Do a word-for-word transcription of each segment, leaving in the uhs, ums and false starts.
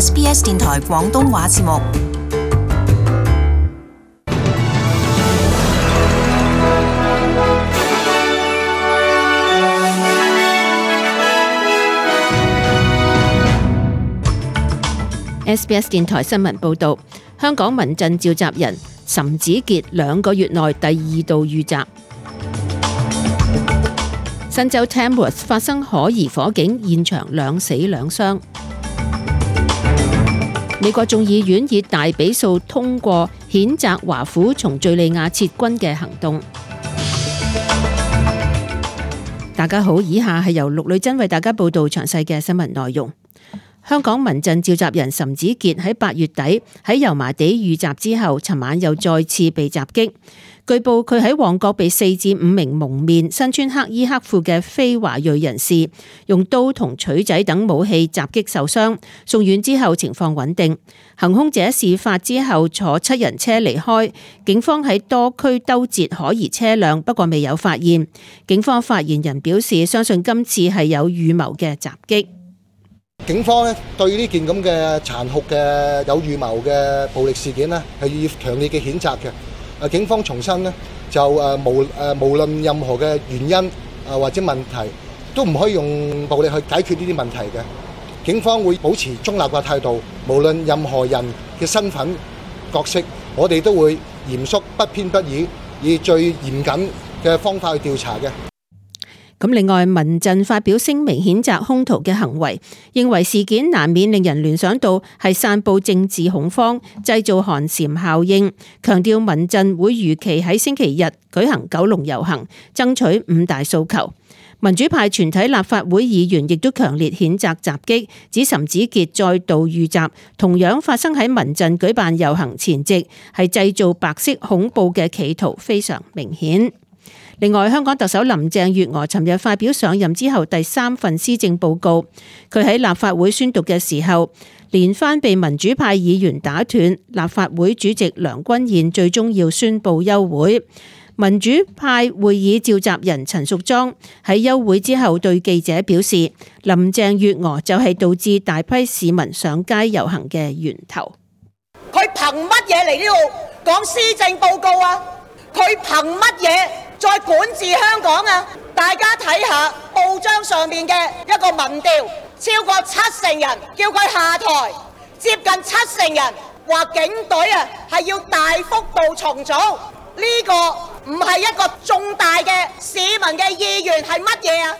S B S 電台廣東話節目。S B S 電台新聞報道，香港民陣召集人岑子傑兩個月內第二度遇襲。新州 Tamworth 發生可疑火警，現場兩死兩傷。美國眾議院以大比數通過譴責華府從敘利亞撤軍嘅行動。大家好，以下係由陸女珍為大家報道詳細嘅新聞內容。香港民陣召集人岑子傑喺八月底喺油麻地遇襲之後，尋晚又再次被襲擊。據報佢喺旺角被四至五名蒙面、身穿黑衣黑褲嘅非華裔人士用刀同錘仔等武器襲擊受傷，送院之後情況穩定。行兇者事發之後坐七人車離開，警方喺多區兜截可疑車輛，不過未有發現。警方發言人表示，相信今次係有預謀嘅襲擊。警方咧對呢件咁嘅殘酷嘅有預謀嘅暴力事件咧係要強烈嘅譴責嘅。誒，警方重申咧就誒無誒無論任何嘅原因誒或者問題，都唔可以用暴力去解決呢啲問題嘅。警方會保持中立嘅態度，無論任何人嘅身份角色，我哋都會嚴肅不偏不倚，以最嚴謹嘅方法去調查嘅。咁另外，民陣發表聲明譴責兇徒嘅行為，認為事件難免令人聯想到係散佈政治恐慌、製造寒蟬效應，強調民陣會如期喺星期日舉行九龍遊行，爭取五大訴求。民主派全體立法會議員亦都強烈譴責襲擊，指岑子傑再度遇襲，同樣發生喺民陣舉辦遊行前夕，係製造白色恐怖嘅企圖非常明顯。另外，香港特首林鄭月娥尋日發表上任之後第三份施政報告，佢喺立法會宣讀嘅時候，連番被民主派議員打斷，立法會主席梁君彥最終要宣布休會。民主派會議召集人陳淑莊喺休會之後對記者表示，林鄭月娥就係導致大批市民上街遊行嘅源頭。佢憑乜嘢嚟呢度講施政報告啊？佢憑乜嘢再管治香港啊？大家睇下報章上面嘅一個民調，超過七成人叫佢下台，接近七成人話警隊啊係要大幅度重組。呢個唔係一個重大嘅市民嘅意願係乜嘢啊？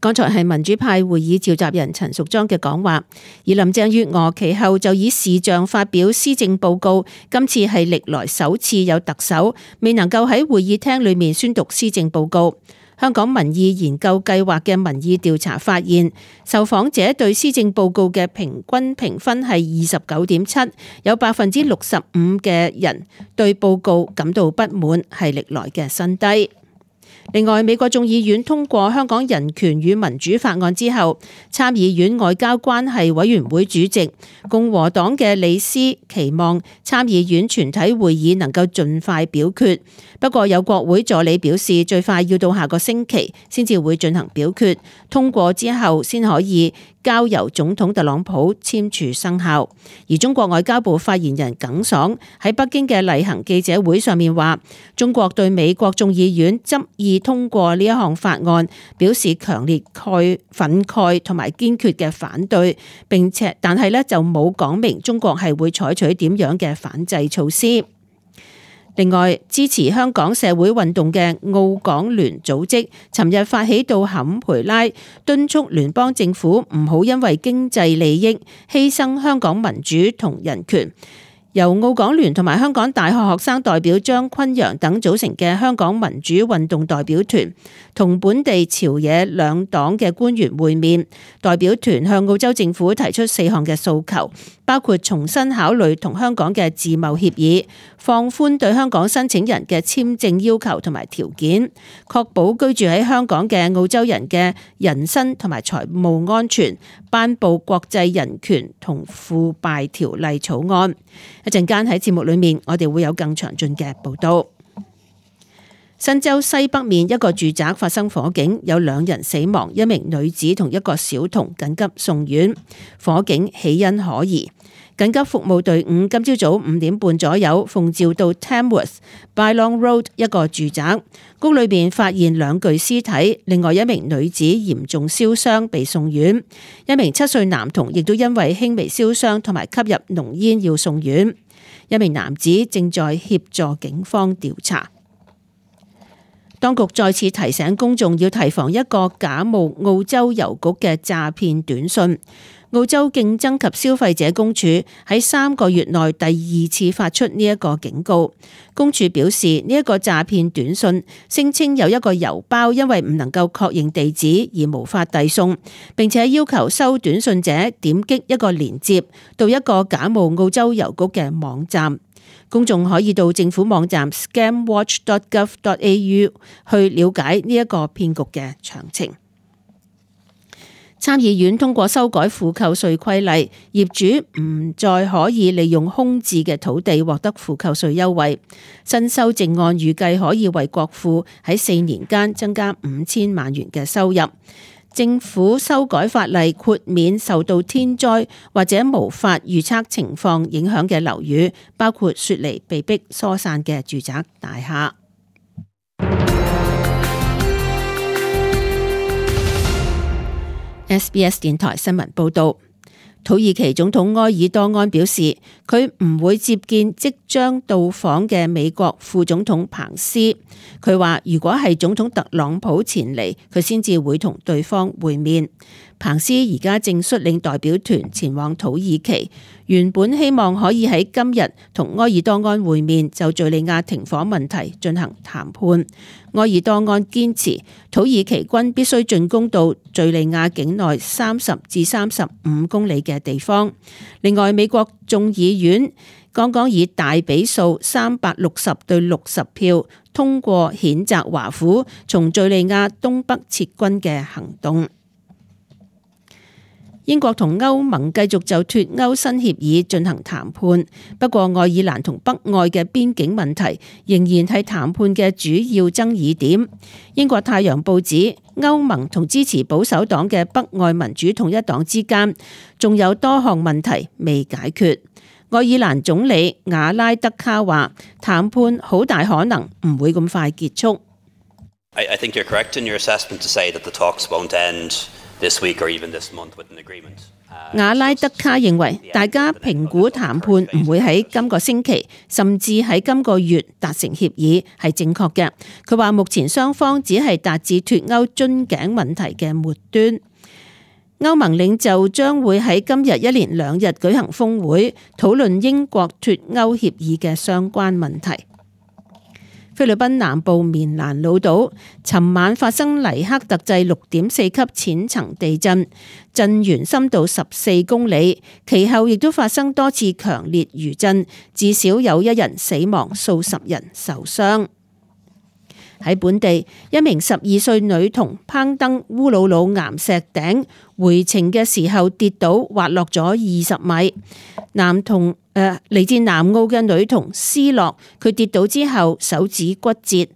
剛才係民主派會議召集人陳淑莊嘅講話，而林鄭月娥其後就以視像發表施政報告。今次係歷來首次有特首未能夠喺會議廳裏面宣讀施政報告。香港民意研究計劃嘅民意調查發現，受訪者對施政報告嘅平均評分係二十九點七，有百分之六十五嘅人對報告感到不滿，係歷來嘅新低。另外，美國眾議院通過香港人權與民主法案之後，參議院外交關係委員會主席共和黨嘅李斯期望參議院全體會議能夠盡快表決。不過有國會助理表示，最快要到下個星期先至會進行表決，通過之後先可以交由總統特朗普簽署生效。而中國外交部發言人耿爽喺北京嘅例行記者會上面話，中國對美國眾議院執意通過呢一項法案表示強烈慨憤慨同埋堅決嘅反對，並且但係咧就冇講明中國係會採取點樣嘅反制措施。另外，支持香港社會運動嘅澳港聯組織尋日發起到坎培拉，敦促聯邦政府唔好因為經濟利益犧牲香港民主同人權。由澳港聯同埋香港大學學生代表張坤陽等組成嘅香港民主運動代表團，同本地朝野兩黨嘅官員會面。代表團向澳洲政府提出四項嘅訴求，包括重新考慮同香港嘅自貿協議，放寬對香港申請人嘅簽證要求同埋條件，確保居住喺香港嘅澳洲人嘅人身同埋財務安全，頒布國際人權同腐敗條例草案。一陣間喺節目裏面，我哋會有更詳盡嘅報道。新州西北面一個住宅發生火警，有兩人死亡，一名女子同一個小童緊急送院。火警起因可疑。緊急服務隊伍今朝早五點半左右奉召到 Tamworth Bylong Road 一個住宅，屋裏邊發現兩具屍體，另外一名女子嚴重燒傷被送院，一名七歲男童亦都因為輕微燒傷同埋吸入濃煙要送院，一名男子正在協助警方調查。當局再次提醒公眾要提防一個假冒澳洲郵局嘅詐騙短訊。澳洲競爭及消費者公署喺三個月內第二次發出呢一個警告。公署表示，呢一個詐騙短訊聲稱有一個郵包因為唔能夠確認地址而無法遞送，並且要求收短訊者點擊一個連結到一個假冒澳洲郵局嘅網站。公眾可以到政府網站 scam watch dot gov dot a u 去了解呢一個騙局嘅詳情。參議院通過修改負扣稅規例，業主唔再可以利用空置嘅土地獲得負扣稅優惠。新修正案預計可以為國庫喺四年間增加五千萬元嘅收入。政府修改法例，豁免受到天災或者無法預測情況影響嘅樓宇，包括雪梨被迫疏散嘅住宅大廈。S B S 電台新聞報道，土耳其總統埃爾多安表示，佢唔會接見即將到訪嘅美國副總統彭斯。佢話如果係總統特朗普前嚟，佢先至會同對方會面。彭斯而家正率領代表團前往土耳其，原本希望可以喺今日同埃爾多安會面，就敘利亞停火問題進行談判。埃爾多安堅持土耳其軍必須進攻到敘利亞境內三十至三十五公里嘅地方。另外，美國眾議院剛剛以大比數三百六十對六十票通過譴責華府從敘利亞東北撤軍嘅行動。英國同歐盟繼續就脫歐新協議進行談判，不過愛爾蘭同北愛嘅邊境問題仍然係談判嘅主要爭議點。英國太陽報指，歐盟同支持保守黨嘅北愛民主統一黨之間仲有多項問題未解決。愛爾蘭總理瓦拉德卡話，談判好大可能唔會咁快結束。I, I think you're correct in your assessment to say that the talks won't end this week or even this month with an agreement. 瓦拉德卡認為，大家評估談判唔會喺今個星期，甚至喺今個月達成協議係正確嘅。佢話目前雙方只係達至脫歐樽頸問題嘅末端。歐盟領袖將會喺今日一連兩日舉行峰會，討論英國脫歐協議嘅相關問題。菲律賓南部棉蘭老島尋晚發生黎克特制六點四級淺層地震，震源深度十四公里，其後亦都發生多次強烈餘震，至少有一人死亡，數十人受傷。喺本地，一名十二歲女童攀登烏魯魯岩石頂回程嘅時候跌倒，滑落咗二十米。男童誒嚟自南澳嘅女童斯洛，佢跌倒之後手指骨折、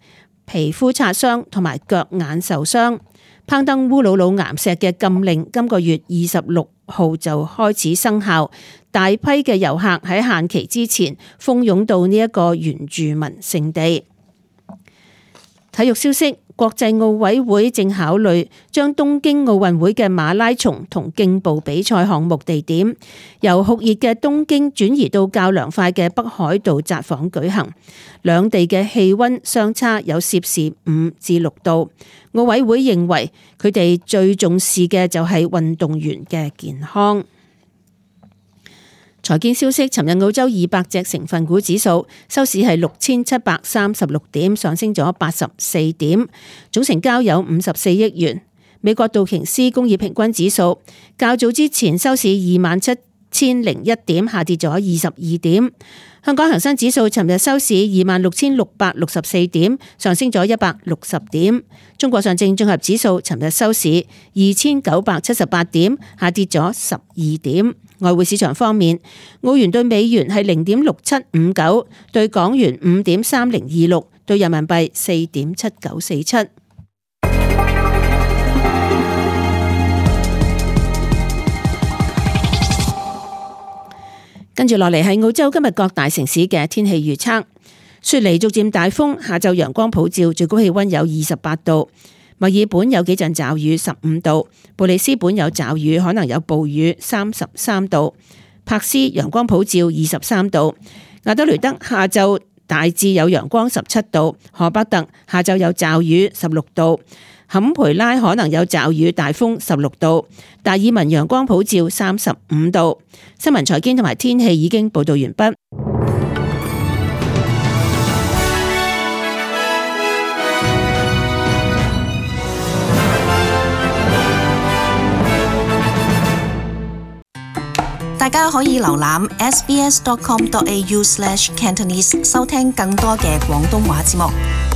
皮膚擦傷同埋腳眼受傷。攀登烏魯魯岩石嘅禁令今個月二十六號就開始生效，大批嘅遊客喺限期之前蜂擁到呢一個原住民聖地。體育消息，國際奧委會正考慮將東京奧運會嘅馬拉松同競步比賽項目地點由酷熱嘅東京轉移到較涼快嘅北海道札幌舉行。兩地嘅氣溫相差有攝氏五至六度。奧委會認為佢哋最重視嘅就係運動員嘅健康。財經消息，尋日澳洲二百隻成分股指數收市係六千七百三十六點，上升咗八十四點，總成交有五十四億元。美國道瓊斯工業平均指數較早之前收市二萬七千零一點，下跌咗二十二點。香港恒生指數尋日收市二萬六千六百六十四點，上升咗一百六十點。中國上證綜合指數尋日收市二千九百七十八點，下跌咗十二點。外匯市場方面，澳元對美元係零點六七五九，對港元五點三零二六，兌人民幣四點七九四七。跟住落嚟係澳洲今日各大城市嘅天氣預測。雪梨逐漸大風，下晝陽光普照，最高氣溫有二十八度。墨爾本有幾陣驟雨，十五度。布里斯本有驟雨，可能有暴雨，三十三度。柏斯陽光普照，二十三度。亞德雷德下晝大致有陽光，十七度。荷伯特下晝有驟雨，十六度。坎培拉可能有驟雨大風，十六度。達爾文陽光普照，三十五度。新聞財經同埋天氣已經報道完畢。大家可以瀏覽 s b s dot com dot a u slash cantonese 收聽更多嘅廣東話節目。